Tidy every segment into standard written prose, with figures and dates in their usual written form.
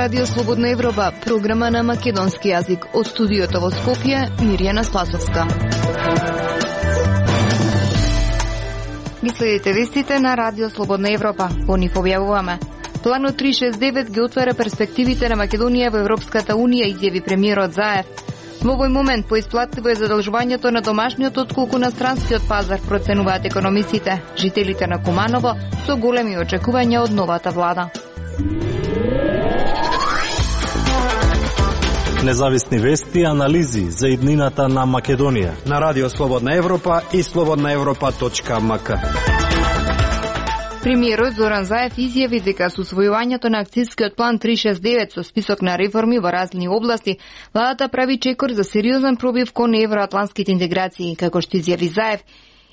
Радио Слободна Европа, програма на македонски јазик. Од студиото во Скопје, Мирјана Спасовска. Ги следите вестите на Радио Слободна Европа. По нив објавуваме. Планот 369 ги отвара перспективите на Македонија во Европската Унија, изјави премиерот Заев. Во овој момент поисплатливо е задолжувањето на домашниот отколку на странскиот пазар, проценуваат економисите. Жителите на Куманово со големи очекувања од новата влада. Независни вести и анализи за иднината на Македонија на Радио Слободна Европа и slobodnaevropa.mk. Премиерот Зоран Заев изјави дека со усвојувањето на акцијскиот план 369 со список на реформи во различни области, владата прави чекор за сериозен пробив кон евроатлантските интеграции. Како што изјави Заев,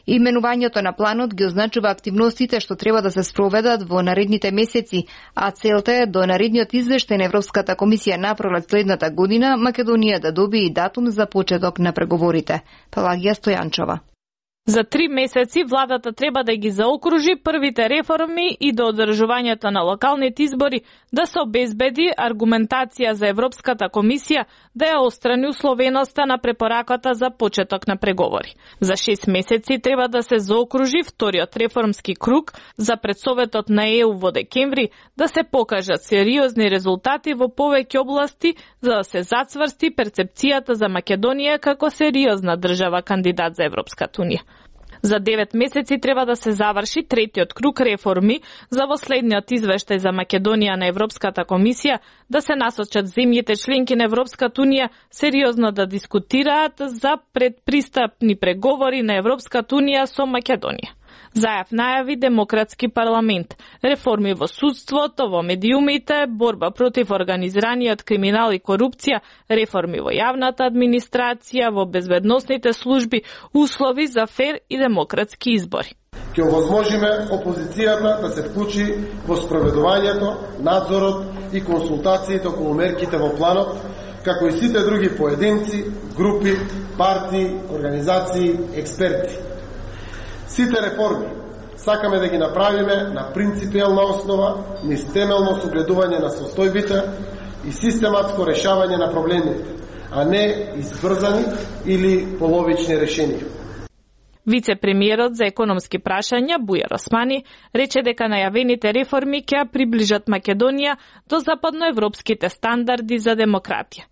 именувањето на планот ги означува активностите што треба да се спроведат во наредните месеци, а целта е до наредниот извештај на Европската комисија на пролет следната година Македонија да добие датум за почеток на преговорите. Пелагија Стојанчова. За 3 месеци владата треба да ги заокружи првите реформи и до одржувањето на локалните избори да се обезбеди аргументација за Европската комисија да ја острани условеноста на препораката за почеток на преговори. За 6 месеци треба да се заокружи вториот реформски круг за пред Советот на ЕУ во декември, да се покажат сериозни резултати во повеќе области за да се зацврсти перцепцијата за Македонија како сериозна држава кандидат за Европската Унија. За 9 месеци треба да се заврши третиот круг реформи за во следниот извештај за Македонија на Европската комисија да се насочат земјите членки на Европската Унија сериозно да дискутираат за предпристапни преговори на Европската Унија со Македонија. Заев најави демократски парламент, реформи во судството, во медиумите, борба против организираниот криминал и корупција, реформи во јавната администрација, во безбедносните служби, услови за фер и демократски избори. Ќе овозможиме опозицијата да се вклучи во спроведувањето, надзорот и консултациите околу мерките во планот, како и сите други поединци, групи, партии, организации, експерти. Сите реформи сакаме да ги направиме на принципиелна основа, низ темелно согледување на состојбите и систематско решавање на проблемите, а не избрзани или половични решенија. Вице-премиерот за економски прашања Бујар Османи рече дека најавените реформи ќе ја приближат Македонија до западноевропските стандарди за демократија.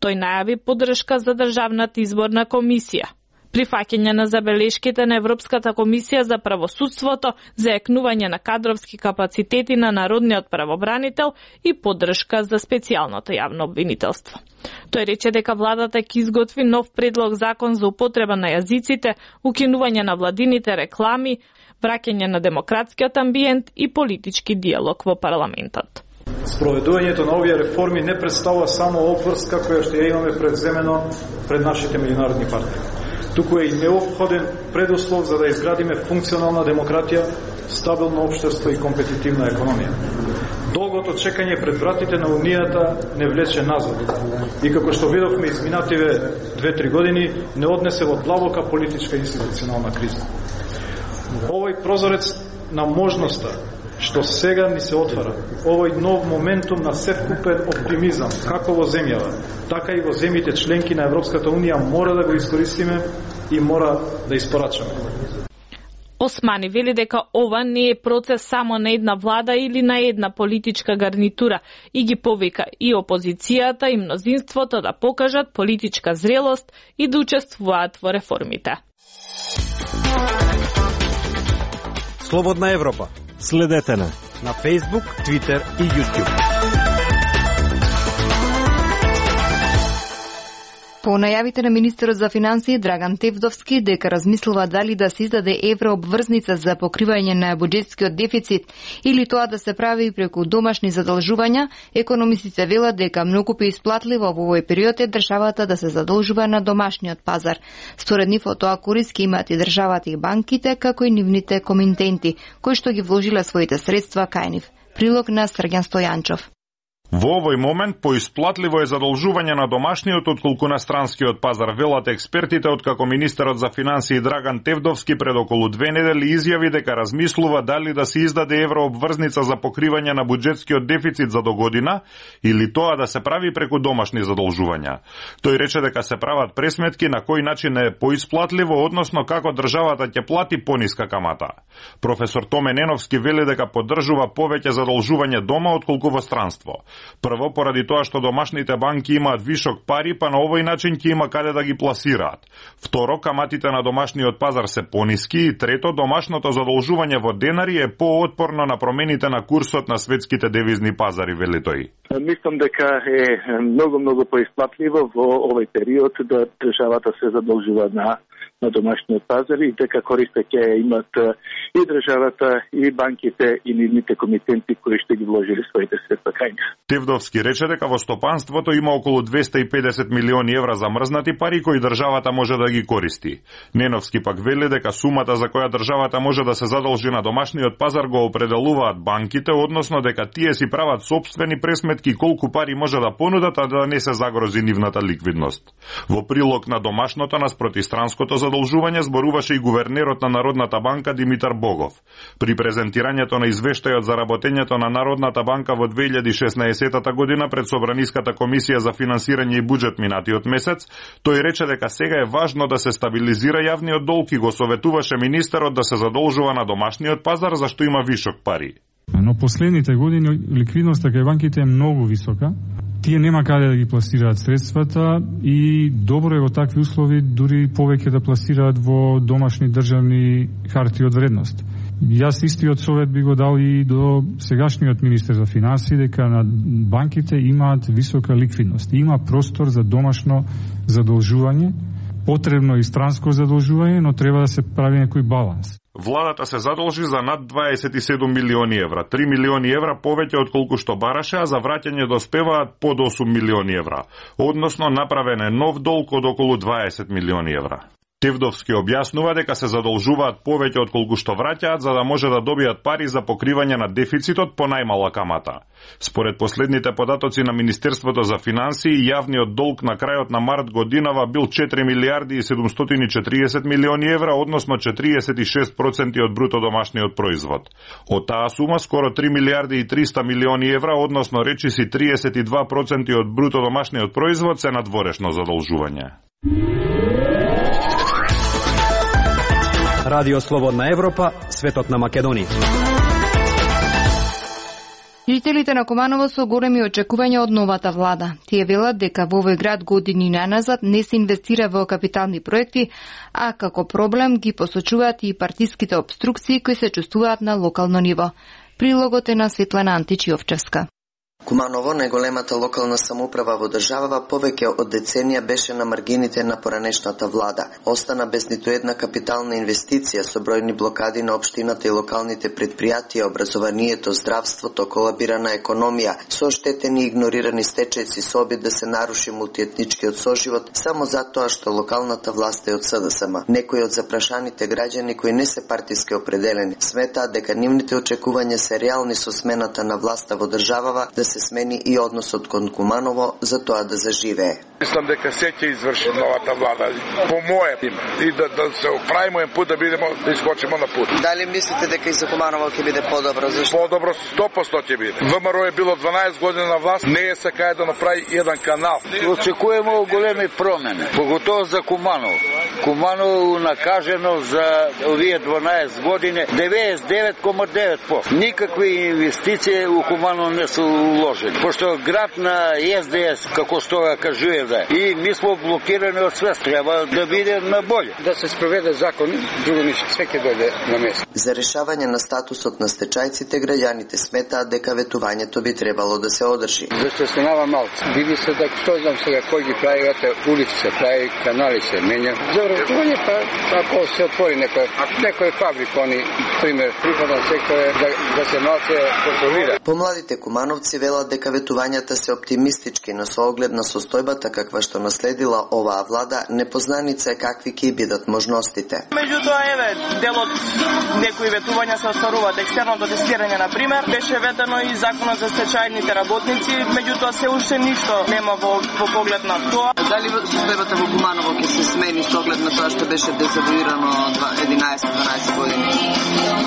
Тој најави поддршка за државната изборна комисија, прифаќање на забелешките на Европската комисија за правосудството, зајакнување на кадровски капацитети на народниот правобранител и поддршка за специјалното јавно обвинителство. Тој рече дека владата ќе изготви нов предлог закон за употреба на јазиците, укинување на владините реклами, враќање на демократскиот амбиент и политички диалог во парламентот. Спроведувањето на овие реформи не представува само обврска која што ја имаме предземено пред нашите меѓународни партнери. Туку е и неопходен предуслов за да изградиме функционална демократија, стабилно општество и компетитивна економија. Долгото чекање пред вратите на Унијата не влече назад и како што видовме изминативе 2-3 години не однесе во длабока политичка институционална криза. Овој прозорец на можноста што сега ни се отвара, овој нов моментум на севкупен оптимизам, како во земјава, така и во земјите членки на Европската Унија, мора да го искористиме и мора да испорачаме. Османи вели дека ова не е процес само на една влада или на една политичка гарнитура и ги повика и опозицијата и мнозинството да покажат политичка зрелост и да учествуваат во реформите. Слободна Европа. Следете на Facebook, Twitter и YouTube. По најавите на министерот за финансии Драган Тевдовски дека размислува дали да се издаде еврообврзница за покривање на буџетскиот дефицит или тоа да се прави преку домашни задолжувања, економистите велат дека многу поисплатливо во овој период е државата да се задолжува на домашниот пазар. Според нив од тоа корист ќе имат и државата и банките, како и нивните комитенти, кои што ги вложиле своите средства кај нив. Прилог на Срѓан Стојанчов. Во овој момент поисплатливо е задолжување на домашниот отколку на странскиот пазар, велат експертите, откако министерот за финансии Драган Тевдовски пред околу 2 недели изјави дека размислува дали да се издаде еврообврзница за покривање на буџетскиот дефицит за догодина или тоа да се прави преку домашни задолжувања. Тој рече дека се прават пресметки на кој начин е поисплатливо, односно како државата ќе плати пониска камата. Професор Томе Неновски вели дека поддржува повеќе задолжување дома отколку во странство. Прво, поради тоа што домашните банки имаат вишок пари, па на овој начин ќе има каде да ги пласираат. Второ, каматите на домашниот пазар се пониски и трето, домашното задолжување во денари е поотпорно на промените на курсот на светските девизни пазари, вели тој. Мислам дека е многу поисплатливо во овој период да државата се задолжува на домашниот пазар и дека користи ќе имат и државата, и банките, и нивните комитенти кои ще ги вложили своите средства кај нив. Тевдовски рече дека во стопанството има околу 250 милиони евра замрзнати пари кои државата може да ги користи. Неновски пак вели дека сумата за која државата може да се задолжи на домашниот пазар го определуваат банките, односно дека тие си прават сопствени пресметки колку пари може да понудат, а да не се загрози нивната ликвидност. Во прилог на домашното наспроти странското задолжување зборуваше и гувернерот на Народната банка Димитар Богов. При презентирањето на извештајот за работењето на Народната банка во 2016 година пред Собраниската комисија за финансирање и буџет минатиот месец, тој рече дека сега е важно да се стабилизира јавниот долг и го советуваше министерот да се задолжува на домашниот пазар зашто има вишок пари. Но последните години ликвидноста кај банките е многу висока. Тие нема каде да ги пласираат средствата и добро е во такви услови дури повеќе да пласираат во домашни државни харти од вредност. Јас истиот совет би го дал и до сегашниот министер за финансии дека на банките имаат висока ликвидност. Има простор за домашно задолжување, потребно и странско задолжување, но треба да се прави некој баланс. Владата се задолжи за над 27 милиони евра, 3 милиони евра повеќе отколку што бараше, а за враќање доспеваат под 8 милиони евра. Односно направен е нов долг од околу 20 милиони евра. Тевдовски објаснува дека се задолжуваат повеќе отколку што враќаат за да може да добијат пари за покривање на дефицитот по најмала камата. Според последните податоци на Министерството за финансии, јавниот долг на крајот на март годинава бил 4 милиарди и 740 милиони евра, односно 46% од бруто домашниот производ. Од таа сума скоро 3 милиарди и 300 милиони евра, односно речиси 32% од бруто домашниот производ се надворешно задолжување. Радио Слободна Европа, светот на Македонија. Жителите на Куманово со големи очекувања од новата влада. Тие велат дека во овој град години наназад не се инвестира во капитални проекти, а како проблем ги посочуваат и партиските обструкции кои се чувствуваат на локално ниво. Прилогот е на Светлана Античиовчевска. Куманово, најголемата локална самоуправа во државава, повеќе од деценија беше на маргините на поранешната влада. Остана без ниту една капитална инвестиција со бројни блокади на општината и локалните предпријатија, образованието, здравството, колабирана економија, со оштетени и игнорирани стечајци со обид да се наруши мултиетничкиот соживот само затоа што локалната власт е од СДСМ. Некои од запрашаните граѓани кои не се партиски определени сметаат дека нивните очекувања се реални со смената на власта во државава, да се смени и односот кон Куманово за тоа да заживее. Мислам дека се ќе изврши новата влада по моје име и да се оправиме еден пат да искочиме на пут. Дали мислите дека и за Куманово ќе биде подобро? Зашто? Подобро 100% ќе биде. ВМРО е било 12 години на власт, не е сакаја да направи еден канал. Очекуваме големи промени, поготово за Куманово. Куманово накажено за овие 12 години 99,9%. Никакви инвестиции у Куманово не се уложени. Пошто град на СДС, како што го кажувам, и ми сме блокирани од све. Треба да биде на боле. Да се спроведе закон, друго ништо, све ќе дојде на место. За решавање на статусот на стечајците, граѓаните сметаат дека ветувањето би требало да се одржи. Зашто станава малку. Види се дека што знам сега кој ги прави улици, се прави канали се менја. За вработување, па ако се отвори некој фабрика, они пример приходен сектор да се ноце контролира. Помладите кумановци велат дека ветувањата се оптимистички, но со оглед на состојбата каква што наследила оваа влада, непознаница е какви ќе бидат можностите. Меѓутоа, еве, дел од некои ветувања се остваруваат екстерното тестирање, на пример, беше ветено и законот за стечајните работници, меѓутоа се уште ништо нема во поглед на тоа. Дали состојбата во Куманово ќе се смени со оглед на тоа што беше дезавуирано 11-12 години?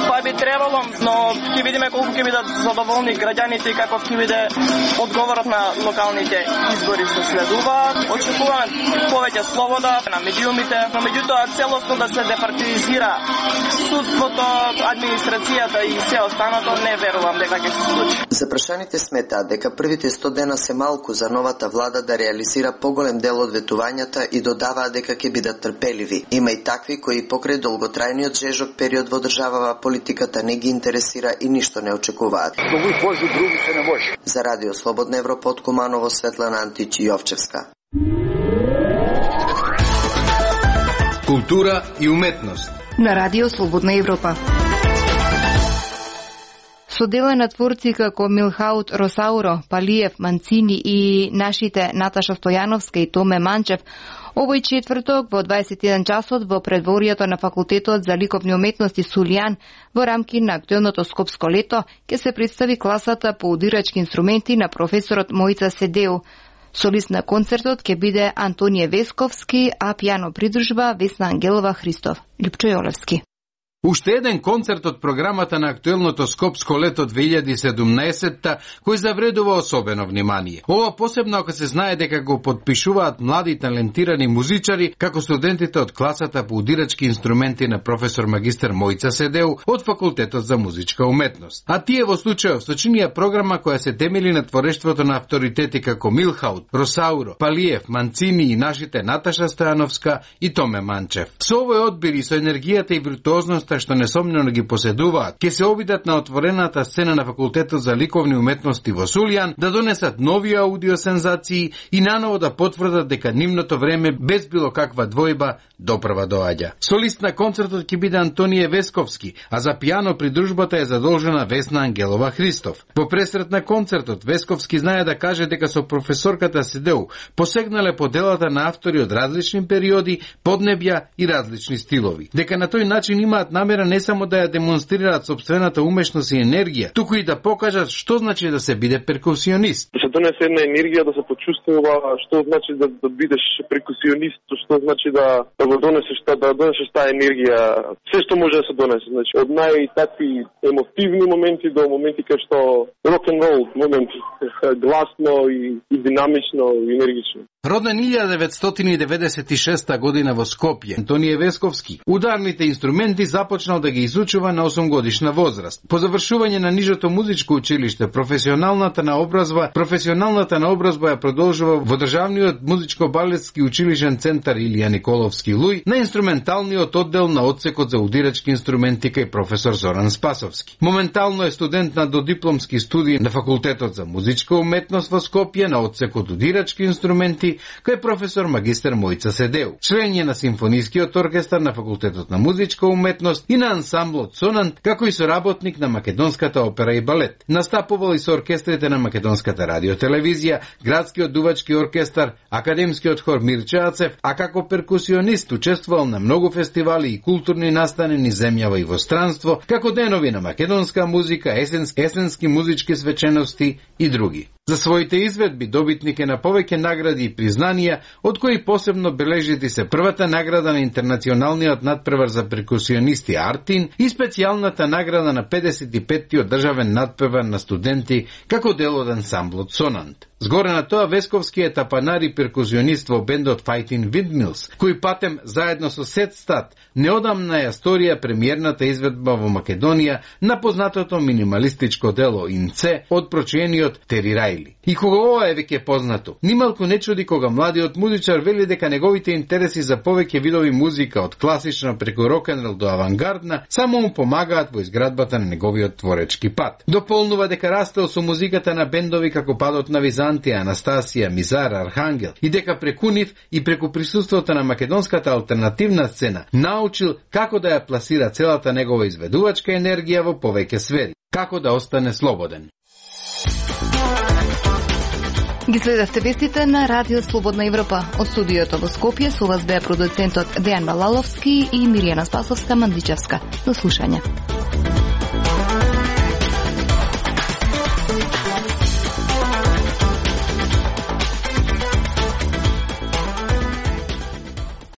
Па би требало, но ќе видиме колку ќе бидат задоволни граѓаните и каков ќе биде одговорот на локалните избори што следуваат. Очекуваме повеќе слобода на медиумите, но меѓутоа целосно да се департизира судството, администрацијата и се останато, не верувам дека ќе се случи. Запрашаните сметаат дека првите 100 дена се малку за новата влада да реализира поголем дел од ветувањата и додаваат дека ќе бидат трпеливи. Има и такви кои покрај долготрајниот жежок период во државава политиката не ги интересира и ништо не очекуваат. За Радио Слободна Европа од Куманово, Светлана Антич Јовчевска. Култура и уметност на Радио Слободна Европа. Со дела на творци како Милхаут Росауро, Палиев, Манцини и нашите Наташа Стојановска и Томе Манчев, овој четврток во 21 часот во предворието на Факултетот за ликовни уметности Сулијан во рамки на актуелното Скопско лето ќе се представи класата по удирачки инструменти на професорот Мојца Седеу. Солист на концертот ќе биде Антонije Весковски, а пијано придружба Весна Ангелова Христов. Липчо Јолевски. Уште еден концерт од програмата на актуелното Скопско лето 2017 кој завредува особено внимание. Ова посебно ако се знае дека го подпишуваат млади талентирани музичари како студентите од класата по удирачки инструменти на професор магистар Мојца Седеу од Факултетот за музичка уметност. А тие во случајов сочинија програма која се темели на творештвото на авторитети како Милхаут, Росауро, Палиев, Манцини и нашите Наташа Стојановска и Томе Манчев. Со овој одбир и со енергијата и виртуозноста што несомнено ги поседуваат, ќе се обидат на отворената сцена на Факултетот за ликовни уметности во Сулијан да донесат нови аудиосензации и наново да потврдат дека нивното време без било каква двојба допрва доаѓа. Солист на концертот ќе биде Антонije Весковски, а за пијано придружбата е задолжена Весна Ангелова Христов. По пресрет на концертот Весковски знае да каже дека со професорката Седеу посегнале по делата на автори од различни периоди, поднебја и различни стилови. Дека на тој начин имаат намера не само да ја демонстрираат собствената умешност и енергија, туку и да покажат што значи да се биде перкусионист. Да се донесе една енергија, да се почувствува што значи да бидеш перкусионист, што значи да го донесеш таа енергија, се што може да се донесе, значи од најтакви емотивни моменти до моменти кај што рок н рол моменти, гласно и динамично и енергично. Роден 1996 година во Скопје, Антонije Весковски ударните инструменти започнал да ги изучува на 8 годишна возраст. По завршување на нижото музичко училиште, професионалната наобразба ја продолжува во Државниот музичко-балетски училишен центар Илија Николовски Луј на инструменталниот оддел на одсекот за удирачки инструменти кај професор Зоран Спасовски. Моментално е студент на додипломски студии на Факултетот за музичка уметност во Скопје на одсекот удирачки инструменти кај професор магистар Мојца Седеу. Член е на симфонискиот оркестар на Факултетот на музичка уметност и на ансамблот Сонант, како и соработник на Македонската опера и балет. Настапувал и со оркестрите на Македонската радиотелевизија, Градскиот дувачки оркестар, Академскиот хор Мирче Ацев, а како перкусионист учествувал на многу фестивали и културни настани низ земјава и во странство, како денови на македонска музика, есенски музички свечености и други. За своите изведби добитник е на повеќе награди и признанија, од кои посебно бележити се првата награда на интернационалниот надпревар за перкусионисти Артин и специјалната награда на 55-тиот државен надпревар на студенти како дел од ансамблот Сонант. Згоре на тоа Весковски е тапанар и перкусионист во бендот Fighting Windmills, кој патем заедно со Сет Стат неодамна ја сторија премиерната изведба во Македонија на познатото минималистичко дело Инце од прочиениот Тери Рајли. И кога ова е веќе познато, нималку не чуди кога младиот музичар вели дека неговите интереси за повеќе видови музика од класична преку рок-н-рол до авангардна само му помагаат во изградбата на неговиот творечки пат. Дополнува дека растел со музиката на бендови како Падот на Византија, Антија, Анастасија, Мизар, Архангел и дека преку нив и преку присуството на македонската алтернативна сцена научил како да ја пласира целата негова изведувачка енергија во повеќе сфери, како да остане слободен. Ги следевте вестите на Радио Слободна Европа. Од студиото во Скопје со вас беа продуцентот Дејан Балаловски и Миријана Спасовска-Мандичевска. До слушање.